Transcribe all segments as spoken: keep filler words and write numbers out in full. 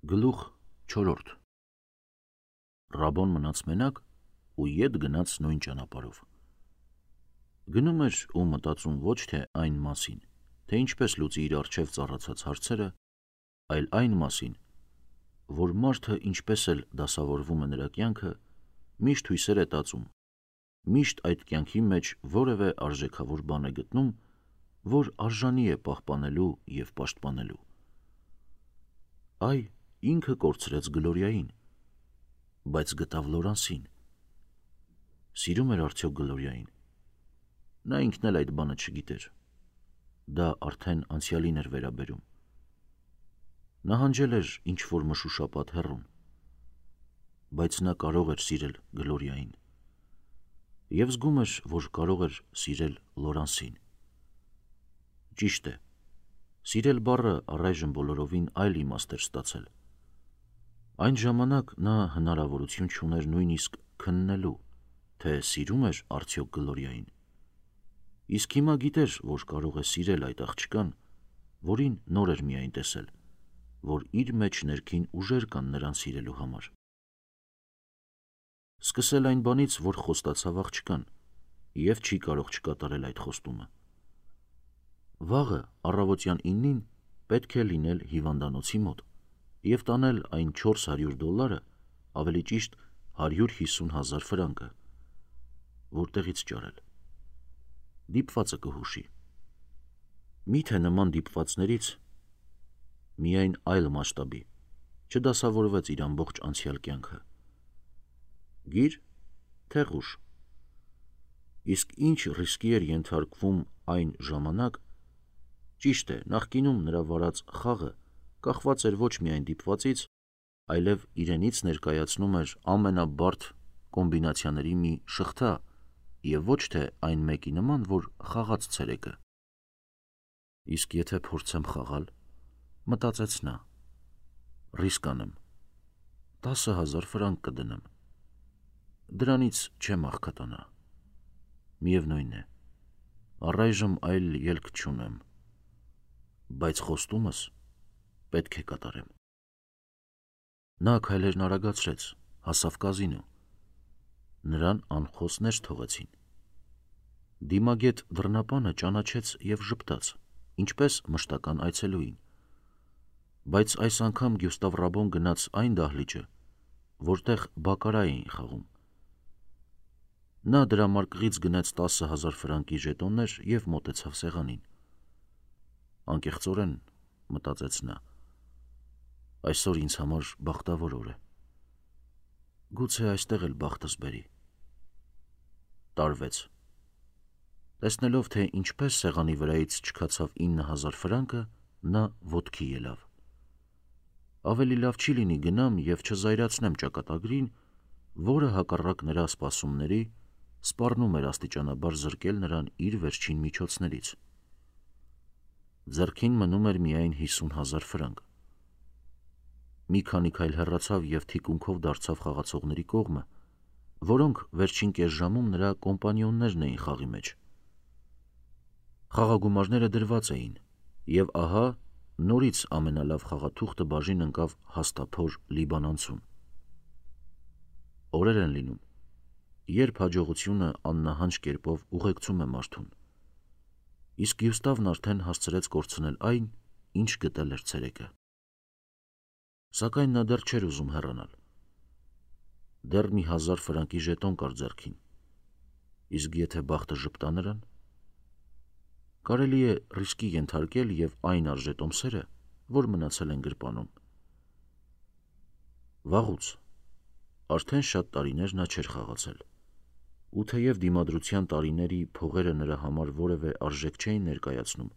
Գլուխ չորրորդ Ռաբոն մնաց մենակ ու ետ գնաց նույն ճանապարհով։ Գնում էր ու մտածում ոչ թե այն մասին, թե ինչպես լուծի իր առջև ծառացած հարցերը, այլ այն մասին, որ մարդը ինչպես էլ դասավորվում է նրա կյանքը, միշտ հույսեր է տածում, միշտ այդ կյանքի մեջ որևէ արժեքավոր բան է գտնում, որ արժանի է պահպանելու և պաշտպանելու։ Այ, ինքը կորցրեց Գլորիային, բայց գտավ Լորանսին։ Սիրում էր արդյոք Գլորիային։ Նա ինքն էլ այդ բանը չգիտեր։ Դա արդեն անցյալին էր վերաբերում։ Նահանջել էր ինչ-որ մշուշապատ հեռուն, բայց նա կարող էր սիրել Գլորիային և զգում էր, որ կարող էր սիրել Լորանսին։ Ճիշտ է, սիրել բառը առայժմ բոլորովին այլ իմաստ էր ստացել։ Այն ժամանակ նա հնարավորություն չուներ նույնիսկ քննելու, թե սիրում էր արդյոք Գլորիային, իսկ հիմա գիտեր, որ կարող է սիրել այդ աղջկան, որին նոր էր միայն տեսել, որ իր մեջ ներքին ուժեր կան նրան սիրելու համար։ Սկսել այն բանից, որ խոստացավ աղջկան և չի կարող չկատարել այդ խոստումը։ Վաղը առավոտյան իննին պետք է լինել հիվանդանոցի մոտ և տանել այն չորս հարյուր դոլարը, ավելի ճիշտ հարյուր հիսուն հազար ֆրանկը, որտեղից ճարել։ Դիպվածը կհուշի։ Միթե նման դիպվածներից միայն այլ մասշտաբի չդասավորվեց իր ամբողջ անցյալ կյանքը։ Գիր, թե ղուշ։ Իսկ ինչ ռիսկի էր ենթարկվում այն ժամանակ, ճիշտ է, նախկինում նրա վարած խաղը կախված էր ոչ միայն դիպվածից, այլև իրենից ներկայացնում էր ամենաբարդ կոմբինացիաների մի շղթա և ոչ թե այն մեկի նման, որ խաղաց ցերեկը։ Իսկ եթե փորձեմ խաղալ, մտածեց նա, ռիսկ անեմ, տասը հազար ֆրանկ կդնեմ, դրանից չեմ աղքատանա։ Միևնույն է, առայժմ այլ ելք չունեմ, բայց խոստումս պետք է կատարեմ։ Նա քայլերն արագացրեց, հասավ կազինո։ Նրան անխոս ներս թողեցին։ Դիմագետ դռնապանը ճանաչեց և ժպտաց, ինչպես մշտական այցելուին, բայց այս անգամ Գյուստավ Ռաբոն գնաց այն դահլիճը, որտեղ բակկարա էին խաղում։ Նա դրամարկղից գնեց տասը հազար ֆրանկի ժետոններ և մոտեցավ սեղանին։ Անկեղծորեն, մտածեց նա, այսօր ինձ համար բախտավոր օր է։ Գուցե այստեղ էլ բախտս բերի։ Տարվեց։ Տեսնելով, թե ինչպես սեղանի վրայից չքացավ ինը հազար ֆրանկը, նա ոտքի ելավ։ Ավելի լավ չի լինի գնամ և չզայրացնեմ ճակատագրին, որը հակառակ նրա սպասումների սպառնում էր աստիճանաբար զրկել նրան իր վերջին միջոցներից։ Ձեռքին մնում էր միայն հիսուն հազար ֆրանկ։ Մի քանի քայլ հեռացավ և թիկունքով դարձավ խաղացողների կողմը, որոնք վերջին կես ժամում նրա կոմպանիոններն էին խաղի մեջ։ Խաղագումարները դրված էին, և ահա նորից ամենալավ խաղաթուղթը բաժին ընկավ հաստափոր լիբանանցուն։ Օրեր են լինում, երբ հաջողությունը աննահանջ կերպով ուղեկցում է մարդուն, իսկ Գյուստավն արդեն հասցրեց կորցնել այն, ինչ գտել էր ցերեկը։ Սակայն նա դեռ չէր ուզում հեռանալ։ Դեռ մի հազար ֆրանկի ժետոն կար ձեռքին, իսկ եթե բախտը ժպտա նրան, կարելի է ռիսկի ենթարկել և այն արժե-տոմսերը, որ մնացել են գրպանում։ Վաղուց, արդեն շատ տարիներ նա չէր խաղացել, ու թեև դիմադրության տարիների փողերը նրա համար որևէ արժեք չէին ներկայացնում,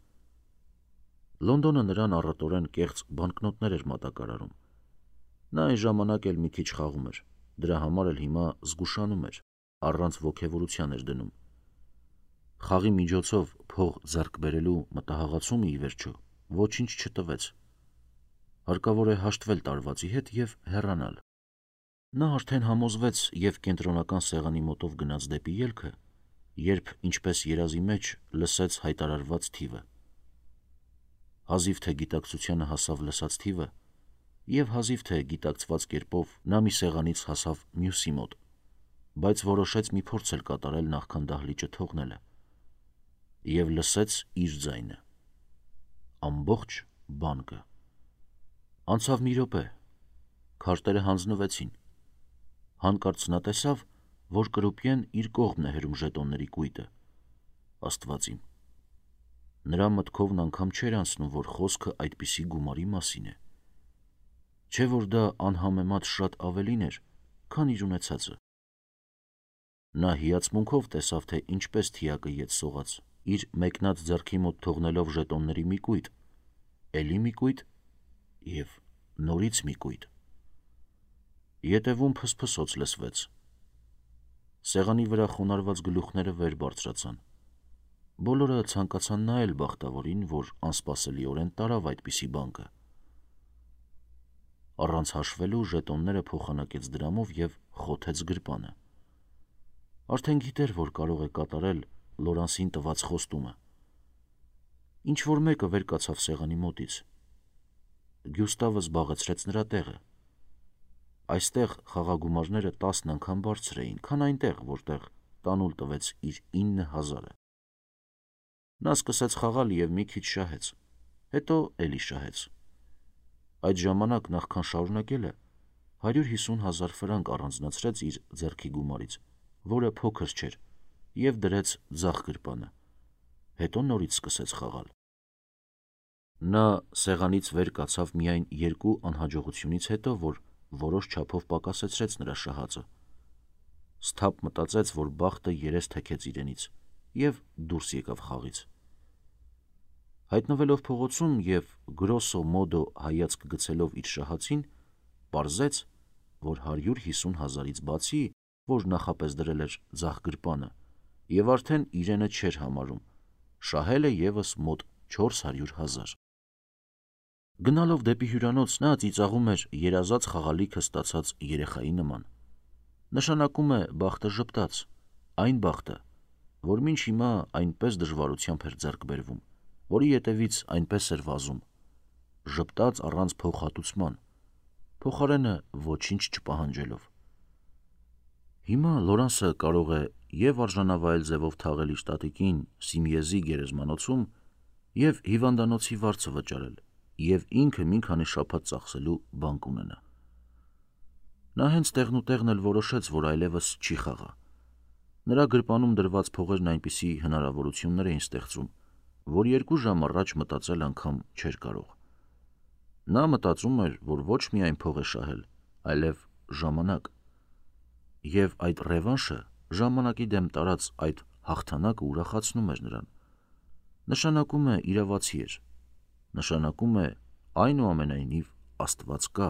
Լոնդոնը նրան առատորեն կեղծ բանկնոտներ էր մատակարարում։ Նա այն ժամանակ էլ մի քիչ խաղում էր, դրա համար էլ հիմա զգուշանում էր, առանց ոգևորության էր դնում։ Խաղի միջոցով փող ձեռք բերելու մտահաղացումը ի վերջո ոչինչ չտվեց։ Հարկավոր է հաշտվել տարվածի հետ և հեռանալ։ Նա արդեն համոզվեց և կենտրոնական սեղանի մոտով գնաց դեպի ելքը, երբ ինչպես երազի մեջ լսեց հայտարարված թիվը։ Հազիվ թե գիտակցությանը հասավ լսած թիվը, եւ հազիվ թե գիտակցված կերպով նա մի սեղանից հասավ մյուսի մոտ, բայց որոշեց մի փորձ էլ կատարել նախքան դահլիճը թողնելը, եւ լսեց իր ձայնը, ամբողջ բանկը։ Անցավ մի րոպե, քարտերը հանձնվեցին, հանկարծ նա տեսավ, որ կրուպիեն իր կողմն է հրում ժետոնների կույտը, Աստված իմ, նրա մտքովն անգամ չէր անցնում, որ խոսքը այդպիսի գումարի մասին է, չէ որ դա անհամեմատ շատ ավելին էր, քան իր ունեցածը։ Նա հիացմունքով տեսավ, թե ինչպես թիակը ետ սողաց, իր մեկնած ձեռքի մոտ թողնելով ժետոնների մի կույտ, էլի մի կույտ եւ նորից մի կույտ։ Ետևում փսփսոց լսվեց։ Սեղանի վրա խոնարհված գլուխները վեր բարձրացան։ Բոլորը ցանկացան նայել բախտավորին, որ անսպասելիորեն տարավ այդպիսի բանկը։ Առանց հաշվելու ժետոնները փոխանակեց դրամով եւ խոթեց գրպանը։ Արդեն գիտեր, որ կարող է կատարել Լորանսին տված խոստումը։ Ինչ որ մեկը վեր կացավ սեղանի մոտից։ Գյուստավը զբաղեցրեց նրա տեղը։ Այստեղ խաղագումարները տասն անգամ բարձր էին, քան այնտեղ, որտեղ տանուլ տվեց իր ինը հազարը։ Նա սկսեց խաղալ եւ մի քիչ շահեց, հետո էլի շահեց։ Այդ ժամանակ նախքան շարունակելը հարյուր հիսուն հազար ֆրանկ առանձնացրեց իր ձեռքի գումարից, որը փոքր չէր, եւ դրեց ձախ գրպանը, հետո նորից սկսեց խաղալ։ Նա սեղանից վեր կացավ միայն երկու անհաջողությունից հետո, որ որոշ չափով պակասեցրեց նրա շահածը։ Սթափ մտածեց, որ բախտը երես թեքեց իրենից եւ դուրս եկավ խաղից։ Հայտնվելով փողոցում եւ գրոսո մոդո հայացք գցելով իր շահածին, պարզեց, որ հարյուր հիսուն հազարից բացի, որ նախապես դրել էր ձախ գրպանը, եւ արդեն իրենը չէր համարում, շահել է եւս մոտ չորս հարյուր հազար։ Գնալով դեպի հյուրանոց նա ծիծաղում էր երազած խաղալիքը ստացած երեխայի նման։ Նշանակում է բախտը ժպտաց, այն բախտը, որ մինչ հիմա այնպես դժվարությամբ էր ձեռք բերվում, որի ետևից այնպես էր վազում, ժպտաց առանց փոխհատուցման, փոխարենը ոչինչ չպահանջելով։ Հիմա Լորանսը կարող է եւ արժանավայել ձևով թաղել իր տատիկին Սիմիեզի գերեզմանոցում եւ հիվանդանոցի վարձը վճարել, եւ ինքը մի քանի շաբաթ ծախսելու բանկ ունենա։ Նա հենց տեղնուտեղն էլ որոշեց, որ այլևս չի խաղա։ Նրա գրպանում դրված փողերն այնպիսի հնարավորություններ էին ստեղծում, որ երկու ժամ առաջ մտածել անգամ չէր կարող։ Նա մտածում էր, որ ոչ միայն փող է շահել, այլև ժամանակ։ Եվ այդ ռևանշը, ժամանակի դեմ տարած այդ հաղթանակը ուրախացնում էր նրան։ Նշանակում է իրավացի էր։ Նշանակում է այնուամենայնիվ Աստված կա,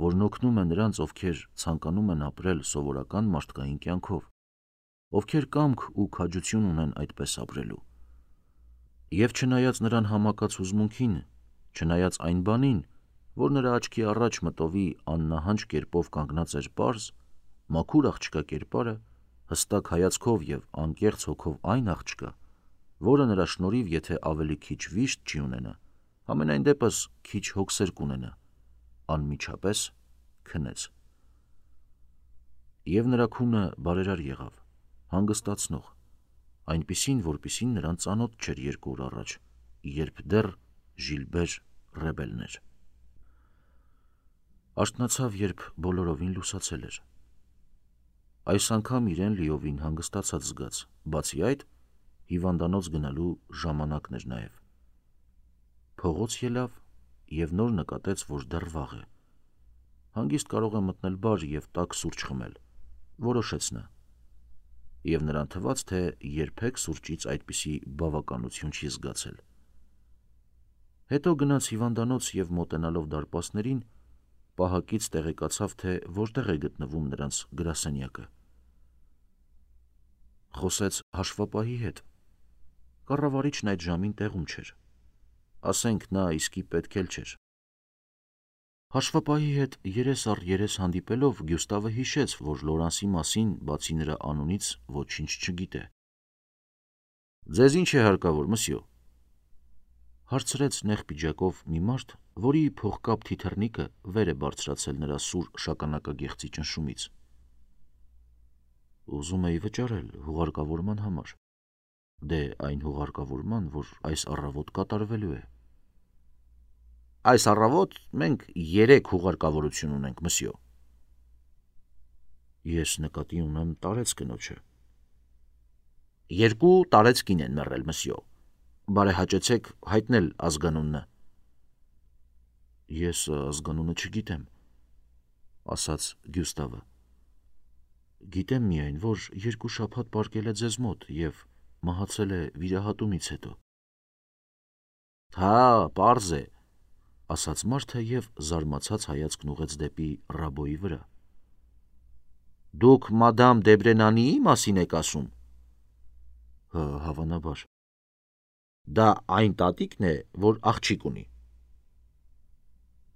որն օգնում է նրանց, ովքեր ցանկանում են ապրել սովորական մարդկային կյանքով, ովքեր կամք ու քաջություն ունեն այդպես ապրելու։ Եվ չնայած նրան համակած հուզմունքին, չնայած այն բանին, որ նրա աչքի առաջ մտովի աննահանջ կերպով կանգնած էր պարզ, մաքուր աղջկա կերպարը, հստակ հայացքով եւ անկեղծ հոգով այն աղջկա, որը նրա շնորհիվ եթե ավելի քիչ վիշտ չի ունենա, համենայն դեպս քիչ հոգսեր կունենա, անմիջապես քնեց։ Եվ նրա քունը բարերար եղավ, հանգստացնող, այնպիսին, որպիսին նրան ծանոթ չէր երկու օր առաջ, երբ դեռ Ժիլբեր Ռեբելն էր։ Աշտնացավ, երբ բոլորովին լուսացել էր։ Այս անգամ իրեն լիովին հանգստացած զգաց, բացի այդ, հիվանդանոց գնալու ժամանակն էր նաև։ Փողոց ելավ եւ նոր նկատեց, որ դեռ վաղ է։ Հանգիստ կարող է մտնել բար եւ տաք սուրճ խմել, որոշեց նա։ Եվ նրան թվաց, թե երբեք սուրճից այդպիսի բավականություն չի զգացել։ Հետո գնաց հիվանդանոց եւ մոտենալով դարպասներին, պահակից տեղեկացավ, թե որտեղ է գտնվում նրանց գրասենյակը։ Խոսեց հաշվապահի հետ։ Կառավարիչն այդ ժամին տեղում չէր։ Ասենք նա իսկի պետք էլ չէր։ Հաշվապահի հետ երես առ երես հանդիպելով Գյուստավը հիշեց, որ Լորանսի մասին բացի նրա անունից ոչինչ չգիտե։ Ձեզ ինչ է հարկավոր, մսյո։ Հարցրեց նեղ պիջակով մի մարդ, որի փողկապ թիթեռնիկը վեր է բարձրացել նրա սուր շագանակագեղձի ճնշումից։ Ուզում էի վճարել հուղարկավորման համար։ Դե այն հուղարկավորման, որ այս առավոտ կատարվելու է։ Այս առավոտ մենք երեք հուղարկավորություն ունենք, մսյո։ Ես նկատի ունեմ տարեց կնոջը։ Երկու տարեցկին են մեռել, մսյո։ Բարեհաճեցեք հայտնել ազգանունը։ Ես ազգանունը չգիտեմ, ասաց Գյուստավը։ Գիտեմ միայն, որ երկու շաբաթ պառկել է ձեզ մոտ և մահացել է վիրահատումից հետո։ Հա, պարզ է, ասաց մարդը և զարմացած հայացքն ուղղեց դեպի Ռաբոյի վրա։ Դուք մադամ Դեբրենանիի մասին եք ասում։ Հա, հավանաբար։ Դա այն տատիկն է, որ աղջիկ ունի։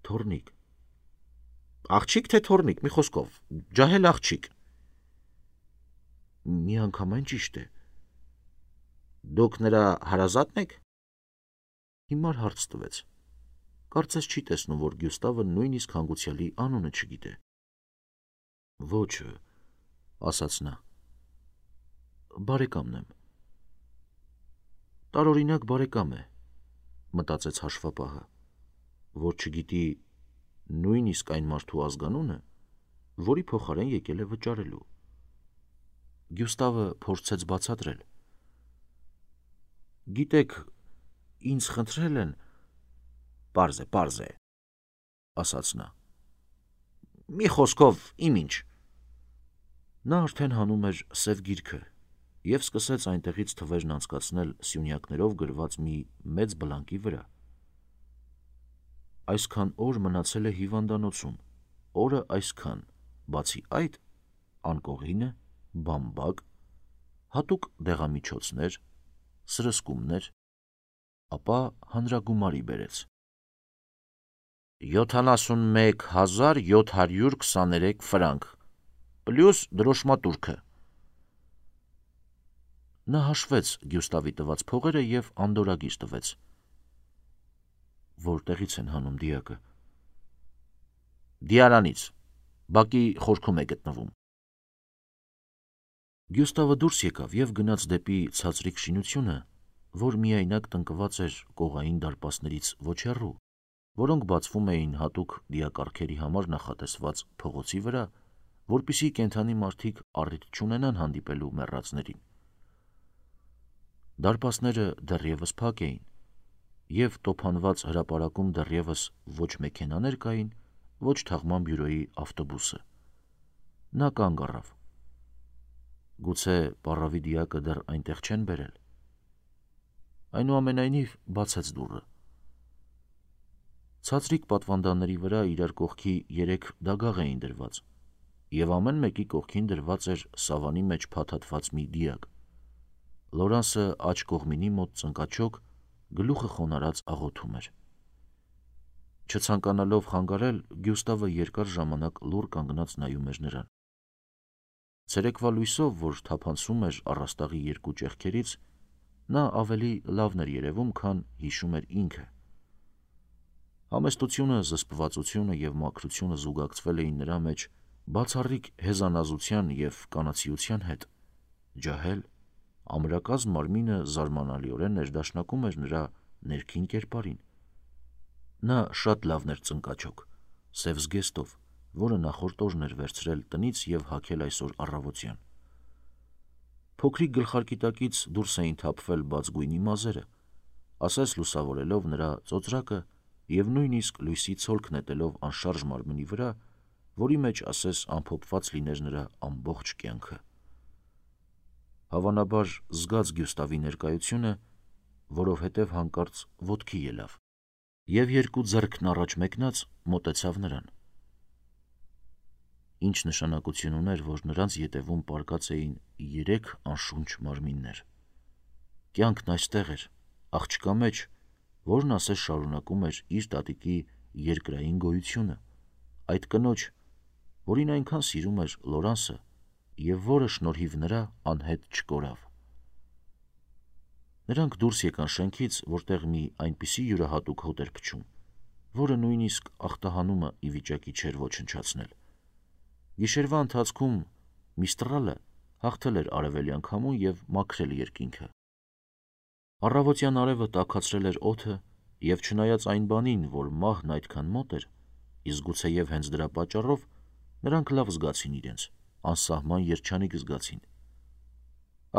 Թոռնիկ։ Աղջիկ թե թոռնիկ, մի խոսքով, ջահել աղջիկ։ Միանգամայն ճիշտ է։ Դուք նրա հարազատն եք։ Հիմար հարց տվեց։ Կարծես չի տեսնում, որ Գյուստավը նույնիսկ հանգուցյալի անունը չգիտե։ Ոչ, ասաց նա։ Բարեկամն եմ։ Տարօրինակ բարեկամ է, մտածեց հաշվապահը, որ չգիտի նույնիսկ այն մարդու ազգանունը, որի փոխարեն եկել է վճարելու։ Գյուստավը փորձեց բացատրել։ Գիտեք, ինձ խնդրել են։ Պարզ է, պարզ է, ասաց նա։ Մի խոսքով, իմ ինչ։ Նա արդեն հանում էր սև գիրքը և սկսեց այնտեղից թվերն անցկացնել սյունյակներով գրված մի մեծ բլանկի վրա։ Այսքան օր մնացել է հիվանդանոցում, օրը այսքան, բացի այդ, անկողինը, բամբակ, հատուկ դեղամիջոցներ, սրսկումներ, ապա հանրագումարի բերեց։ յոթանասունմեկ հազար յոթ հարյուր քսաներեք ֆրանկ, պլյուս դրոշմատուրքը։ Նա հաշվեց Գյուստավի տված փողերը և անդորրագիր տվեց։ Որտեղից են հանում դիակը։ Դիարանից, բակի խորքում է գտնվում։ Գյուստավը դուրս եկավ և գնաց դեպի ցածրիկ շինությունը, որ միայնակ տնկված էր կողային դարպասներից ոչ հեռու, որոնք բացվում էին հատուկ դիակառքերի համար նախատեսված փողոցի վրա, որպեսզի կենդանի մարդիկ առիթ չունենան հանդիպելու մեռածներին։ Դարպասները դեռևս փակ էին, և տոփանված հրապարակում դեռևս ոչ մեքենաներ կային, ոչ թաղման բյուրոյի ավտոբուսը։ Նա կանգ առավ։ Գուցե պառավի դիակը դեռ այնտեղ չեն բերել։ Այնուամենայնիվ բացեց դուռը։ Ցածրիկ պատվանդանների վրա իրար կողքի երեք դագաղ էին դրված, և ամեն մեկի կողքին դրված էր սավանի մեջ փաթաթված մի դիակ։ Լորանսը աջ կողմինի մոտ ծնկաչոք, գլուխը խոնարհած աղոթում էր։ Չցանկանալով խանգարել, Գյուստավը երկար ժամանակ լուռ կանգնած նայում էր նրան։ Ցերեկվա լույսով, որ թափանցում էր առաստաղի երկու ճեղքերից, նա ավելի լավն էր երևում, քան հիշում էր ինքը։ Համեստությունը, զսպվածությունը և մաքրությունը զուգակցվել էին նրա մեջ բացառիկ հեզանազության և կանացիության հետ։ Ջահել, ամրակազմ մարմինը զարմանալիորեն ներդաշնակում էր նրա ներքին կերպարին։ Նա շատ լավն էր ծնկաչոք, սև զգեստով, որը նախորդ օրն էր վերցրել տնից և հագել այսօր առավոտյան։ Փոքրիկ գլխարկի տակից դուրս էին թափվել բաց գույնի մազերը, ասես լուսավորելով նրա ծոծրակը և նույնիսկ լույսի ցոլք նետելով անշարժ մարմնի վրա, որի մեջ ասես ամփոփված լիներ նրա ամբողջ կյանքը։ Հավանաբար զգաց Գյուստավի ներկայությունը, որովհետև հանկարծ ոտքի ելավ, և երկու ձեռքն առաջ մեկնած մոտեցավ նրան։ Ինչ նշանակություն ուներ, որ նրանց ետևում պառկած էին երեք անշունչ մարմիններ։ Կյանքն այստեղ էր, աղջկա մեջ, որն ասես շարունակում էր իր տատիկի երկրային գոյությունը, այդ կնոջ, որին այնքան սիրում էր Լորանսը և որը շնորհիվ նրա անհետ չկորավ։ Նրանք դուրս եկան շենքից, որտեղ մի այնպիսի յուրահատուկ հոտ էր փչում, որը նույնիսկ ախտահանումը ի վիճակի չէր ոչնչացնել։ Գիշերվա ընթացքում Միստրալը հաղթել էր արևելյան քամուն և մաքրել երկինքը։ Առավոտյան արևը տաքացրել էր օդը, և չնայած այն բանին, որ մահն այդքան մոտ էր, իսկ գուցեև հենց դրա պատճառով նրանք լավ զգացին իրենց, անսահման երջանիկ զգացին։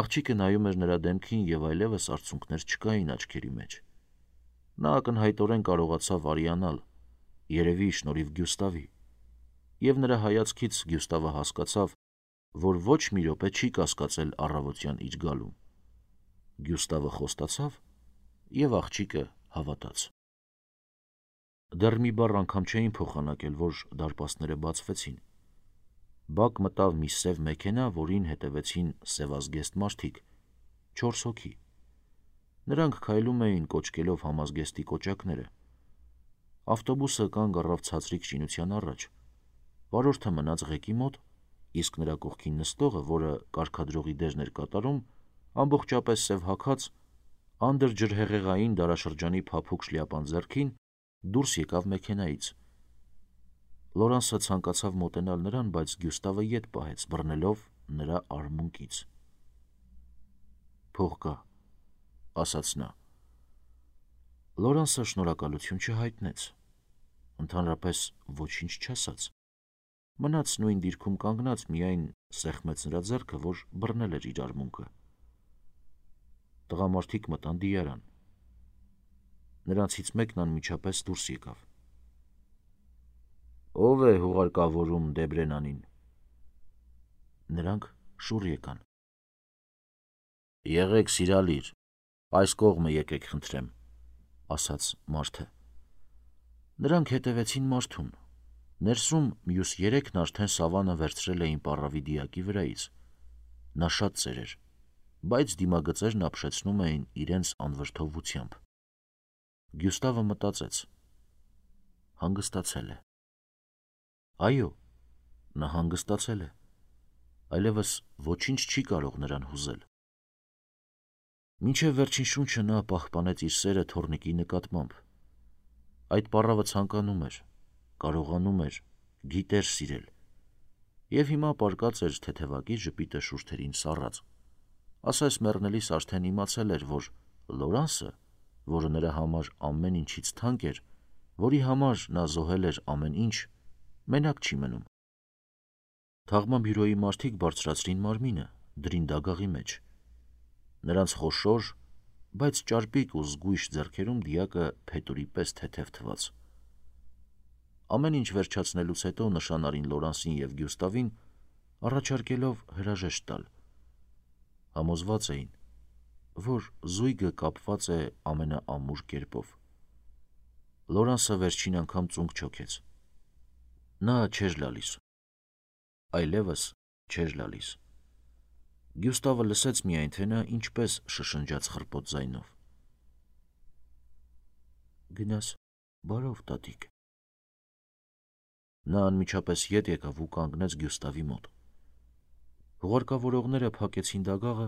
Աղջիկը նայում էր նրա դեմքին և այլևս արցունքներ չկային աչքերի մեջ։ Նա ակնհայտորեն կարողացավ արիանալ, երևի շնորհիվ Գյուստավի, և նրա հայացքից Գյուստավը հասկացավ, որ ոչ մի րոպե չի կասկածել առավոտյան իր գալուն։ Գյուստավը խոստացավ, և աղջիկը հավատաց։ Դեռ մի բառ անգամ չէին փոխանակել, որ դարպասները բացվեցին։ Բակ մտավ մի սև մեքենա, որին հետևեցին սևազգեստ մարդիկ, չորս հոգի։ Նրանք քայլում էին կոճկելով համազգեստի կոճակները։ Ավտոբուսը կանգ առավ ցածրիկ շինության առաջ։ Վարորդը մնաց ղեկի մոտ, իսկ նրա կողքին նստողը, որը կարգադրողի դերն էր կատարում, ամբողջապես սև հագած, անդրջրհեղեղային դարաշրջանի փափուկ շլյապան ձեռքին, դուրս եկավ մեքենայից։ Լորանսը ցանկացավ մոտենալ նրան, բայց Գյուստավը ետ պահեց, բռնելով նրա արմունկից։ «Փող կա», ասաց նա։ Լորանսը շնորհակալություն չհայտնեց, ընդհանրապես ոչինչ չասաց։ Մնաց նույն դիրքում կանգնած, միայն սեղմեց նրա ձեռքը, որ բռնել էր իր արմունկը։ Տղամարդիկ մտան դիարան։ Նրանցից մեկն անմիջապես դուրս եկավ։ «Ո՞վ է հուղարկավորում Դեբրենանին»։ Նրանք շուռ եկան։ «Եղեք սիրալիր, այս կողմը եկեք խնդրեմ», ասաց մարդը։ Նրանք հետևեցին մարդուն։ Ներսում մյուս երեքն արդեն սավանը վերցրել էին պառավի դիակի վրայից։ Նա շատ ծեր էր, բայց դիմագծերն ապշեցնում էին իրենց անվրդովությամբ։ Գյուստավը մտածեց. հանգստացել է։ Այո, նա հանգստացել է։ Այլևս ոչինչ չի կարող նրան հուզել։ Մինչև վերջին շունչը նա պահպանեց իր սերը թոռնիկի նկատմամբ։ Այդ պառավը ցանկանում էր, կարողանում էր, գիտեր սիրել։ Եվ հիմա պառկած էր թեթևակի ժպիտը շուրթերին սառած։ Ասես մեռնելիս արդեն իմացել էր, որ Լորանսը, որը նրա համար ամեն ինչից թանկ էր, որի համար նա զոհել էր ամեն ինչ, մենակ չի մնում։ Թաղման բյուրոյի մարդիկ բարձրացրին մարմինը, դրին դագաղի մեջ։ Նրանց խոշոր, բայց ճարպիկ ու զգույշ ձեռքերում դիակը փետուրի պես թեթև թվաց։ Ամեն ինչ վերջացնելուց հետո նշան արին Լորանսին և Գյուստավին, առաջարկելով հրաժեշտ տալ։ Համոզված էին, որ զույգը կապված է ամենաամուր կերպով։ Լորանսը վերջին անգամ ծունկ չոքեց։ Նա չէր լալիս։ Այլևս չէր լալիս։ Գյուստավը լսեց միայն, թե նա ինչպես շշնջաց խռպոտ ձայնով. «Գնաս բարով, տատիկ»։ Նա անմիջապես ետ եկավ ու կանգնեց Գյուստավի մոտ։ Հուղարկավորողները փակեցին դագաղը,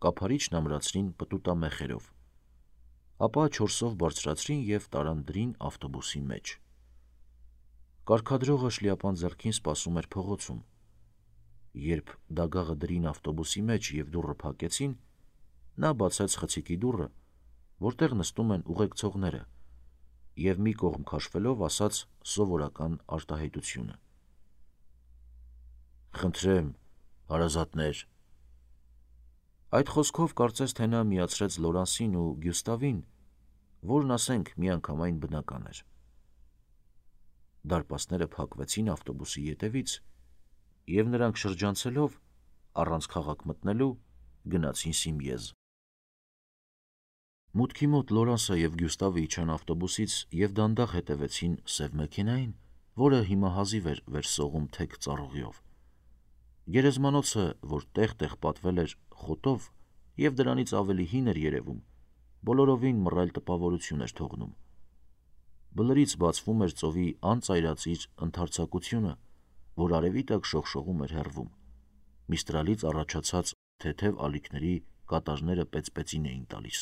կափարիչն ամրացրին պտուտամեխերով, ապա չորսով բարձրացրին և տարան դրին ավտոբուսի մեջ։ Կարգադրողը շլյապան ձեռքին սպասում էր փողոցում։ Երբ դագաղը դրին ավտոբուսի մեջ և դուռը փակեցին, նա բացեց խցիկի դուռը, որտեղ նստում են ուղեկցողները, և մի կողմ քաշվելով ասաց սովորական արտահայտությունը. «Խնդրեմ, հարազատներ»։ Այդ խոսքով կարծես թե նա միացրեց Լորանսին ու Գյուստավին, որն, ասենք, միանգամայն բնական էր։ Դարպասները փակվեցին ավտոբուսի ետևից, և նրանք շրջանցելով, առանց քաղաք մտնելու, գնացին Սիմեազ։ Մուտքի մոտ Լորանսը և Գյուստավը իջան ավտոբուսից և դանդաղ հետևեցին սև մեքենային, որը հիմա հազիվ էր վերսողում թեք ծառուղիով։ Գերեզմանոցը, որ տեղ-տեղ պատվել էր խոտով և դրանից ավելի հին էր երևում, բոլորովին մռայլ տպավորություն էր թողնում։ Բլրից բացվում էր ծովի անծայրածիր ընդարձակությունը, որ արևի տակ շողշողում էր հեռվում, Միստրալից առաջացած թեթև ալիքների կատաժները պեծպեծին էին տալիս։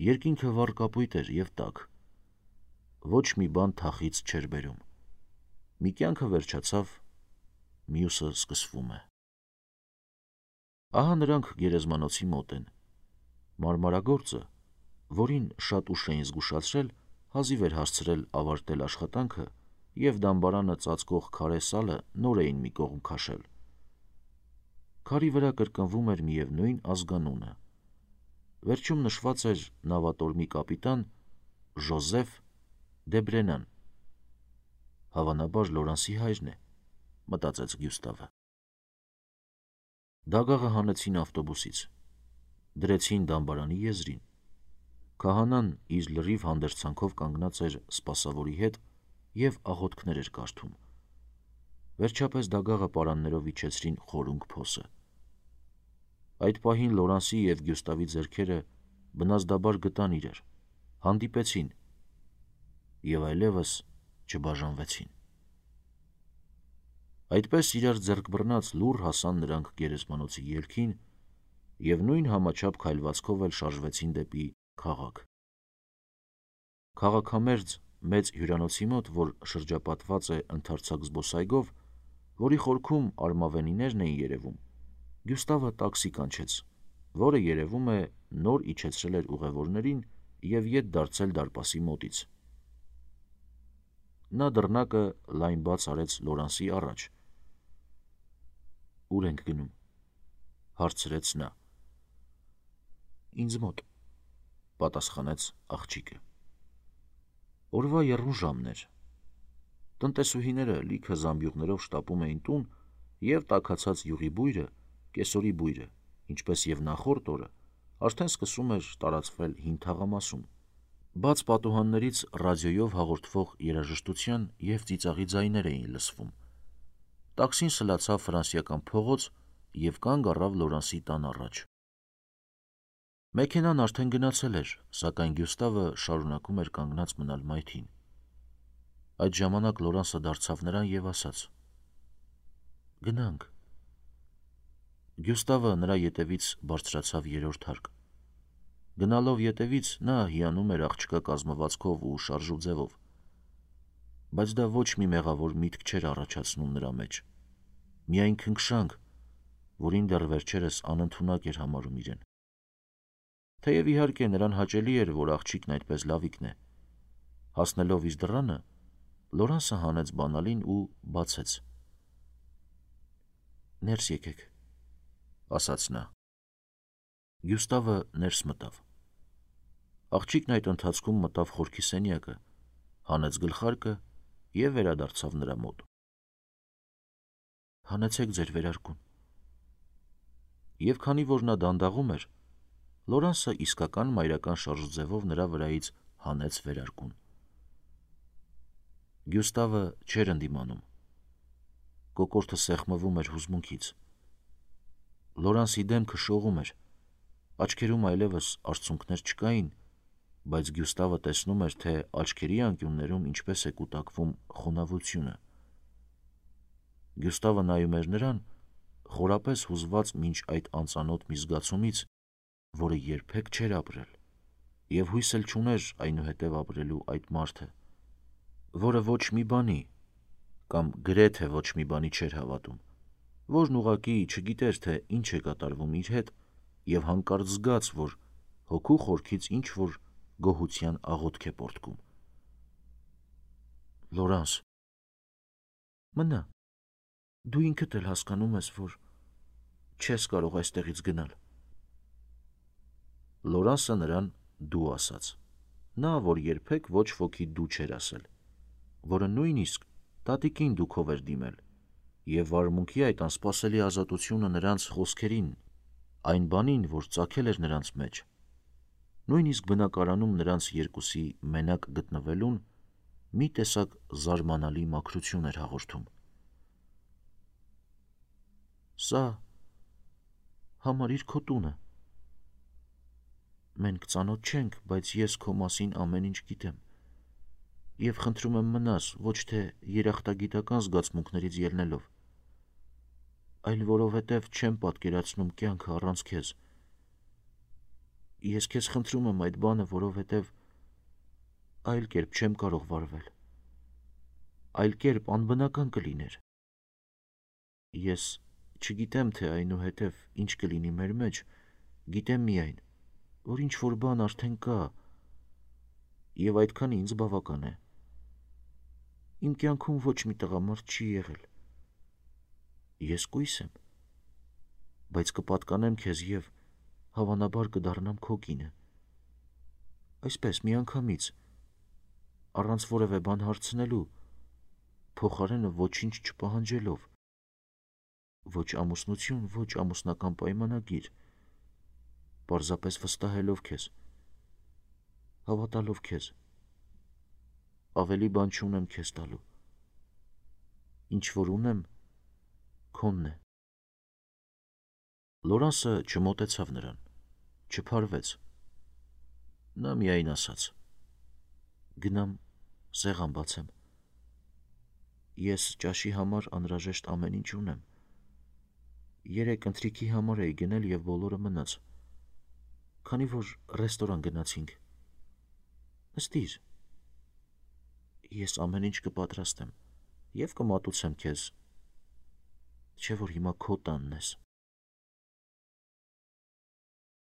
Երկինքը վառ կապույտ էր և տաք։ Ոչ մի բան թախից չէր բերում։ Մի կյանքը վերջացավ, մյուսը սկսվում է։ Ահա նրանք գերեզմանոցի մոտ են։ Մարմարագործը, որին շատ ուշ էին զգուշացրել, հազիվ էր հասցրել ավարտել աշխատանքը և դամբարանը ծածկող քարե սալը նոր էին մի կողմ քաշել։ Քարի վրա կրկնվում էր միևնույն ազգանունը։ Վերջում նշված էր նավատորմի կապիտան Ժոզեֆ Դեբրենան։ Հավանաբար Լորանսի հայրն է, մտածեց Գյուստավը։ Դագաղը հանեցին ավտոբուսից, դրեցին դամբարանի եզրին։ Քահանան իր լրիվ հանդերձանքով կանգնած էր սպասավորի հետ և աղոթքներ էր կարդում։ Վերջապես դագաղը պարաններով իջեցրին խորունգ փոսը։ Այդ պահին Լորանսի և Գյուստավի ձեռքերը բնազդաբար գտան իրար, հանդիպեցին և այլևս չբաժանվեցին։ Այդպես իրար ձեռք բռնած լուռ հասան նրանք գերեզմանոցի ելքին և նույն համաչափ քայլվածքով էլ շարժվեցին դեպի քաղաք։ Քաղաքամերձ մեծ հյուրանոցի մոտ, որ շրջապատված է ընդարձակ զբոսայգով, որի խորքում արմավենիներն էին երևում, Գյուստավը տաքսի կանչեց, որը երևում է նոր իջեցրել էր ուղևորներին և ետ դարձել դարպասի մոտից։ Նա դռնակը լայն բաց արեց Լորանսի առաջ։ «Ուր ենք գնում», հարցրեց նա։ «Ինձ մոտ», պատասխանեց աղջիկը։ Օրվա եռուն ժամն էր։ Տնտեսուհիները լիքը զամբյուղներով շտապում էին տուն, և տաքացած յուղի բույրը, կեսօրի բույրը, ինչպես և նախորդ օրը, արդեն սկսում էր տարածվել հին թաղամասում։ Բաց պատուհաններից ռադիոյով հաղորդվող երաժշտության և ծիծաղի ձայներ էին լսվում։ Տաքսին սլացավ Ֆրանսիական փողոց և կանգ առավ Լորանսի տան առաջ։ Մեքենան արդեն գնացել էր, սակայն Գյուստավը շարունակում էր կանգնած մնալ մայթին։ Այդ ժամանակ Լորանսը դարձավ նրան և ասաց. «Գնանք»։ Գյուստավը նրա ետևից բարձրացավ երրորդ հարկ։ Գնալով ետևից նա հիանում էր աղջկա կազմվածքով ու շարժու ձևով, բայց դա ոչ մի մեղավոր միտք չէր առաջացնում նրա մեջ, միայն քնքշանք, որին դեռ վերջերս անընդունակ էր համարում իրեն։ Թեև իհարկե նրան հաճելի էր, որ աղջիկն այդպես լավիկն է։ Հասնելով իր դռանը, Լորանսը հանեց բանալին ու բացեց։ «Ներս եկեք», ասաց նա։ Գյուստավը ներս մտավ։ Աղջիկն այդ ընթացքում մտավ խորքի սենյակը, հանեց գլխարկը և վերադարձավ նրա մոտ։ «Հանեցեք ձեր վերարկուն»։ Եվ քանի որ նա դանդաղում էր, Լորանսը իսկական մայրական շարժուձևով նրա վրայից հանեց վերարկուն։ Գյուստավը չէր ընդդիմանում։ Կոկորդը սեղմվում էր հուզմունքից։ Լորանսի դեմքը շողում էր, աչքերում այլևս արցունքներ չկային, բայց Գյուստավը տեսնում էր, թե աչքերի անկյուններում ինչպես է կուտակվում խոնավությունը։ Գյուստավը նայում էր նրան, խորապես հուզված մինչ այդ անծանոթ մի զգացումից, որը երբեք չէր ապրել, և հույս էլ չուներ այնուհետև ապրելու այդ մարդը, որը ոչ մի բանի, կամ գրեթե ոչ մի բանի չէր հավատում, որն ուղղակի չգիտեր, թե ինչ է կատարվում իր հետ, և հանկարծ զգաց, որ հոգու խորքից ինչ-որ գոհության աղոթք է պոռթկում։ «Լորանս, մնա, դու ինքդ էլ հասկանում ես, որ չես կարող այստեղից գնալ»։ Լորանսը նրան «դու» ասաց, նա, որ երբեք ոչ ոքի «դու» չէր ասել, որը նույնիսկ տատիկին դուքով էր դիմել, և վարմունքի այդ անսպասելի ազատությունը նրանց խոսքերին, այն բանին, որ ծագել էր նրանց մեջ, նույնիսկ բնակարանում նրանց երկուսի մենակ գտնվելուն, մի տեսակ զարմանալի մաքրություն էր հաղորդում։ «Սա համարիր քո տունը։ Մենք ծանոթ չենք, բայց ես քո մասին ամեն ինչ գիտեմ, և խնդրում եմ մնաս, ոչ թե երախտագիտական զգացմունքներից ելնելով։ այլ որովհետև չեմ պատկերացնում կյանքը առանց քեզ։ Ես քեզ խնդրում եմ այդ բանը, որովհետև այլ կերպ չեմ կարող վարվել։ Այլ կերպ անբնական կլիներ։ Ես չգիտեմ, թե այնուհետև ինչ կլինի մեր մեջ, գիտեմ միայն, որ ինչ-որ բան արդեն կա, և այդքանը ինձ բավական է։ Իմ կյանքում ոչ մի տղամարդ չի եղել։ Ես կույս եմ, բայց կպատկանեմ քեզ և հավանաբար կդառնամ քո կինը։ Այսպես միանգամից, առանց որևէ բան հարցնելու, փոխարենը ոչինչ չպահանջելով։ Ոչ ամուսնություն, ոչ ամուսնական պայմանագիր, պարզապես վստահելով քեզ, հավատալով քեզ, ավելի բան չունեմ քեզ տալու, ինչ որ ունեմ, քոնն է։ Լորանսը չմոտեցավ նրան, չփարվեց։ Նա միայն ասաց. գնամ սեղան բացեմ։ Ես ճաշի համար անհրաժեշտ ամեն ինչ ունեմ։ Երեկ ընթրիքի համար էի գնել և բոլորը մնաց, քանի որ ռեստորան գնացինք։ Նստիր, ես ամեն ինչ կպատրաստեմ և կմատուցեմ քեզ, չէ որ հիմա քո տանն ես։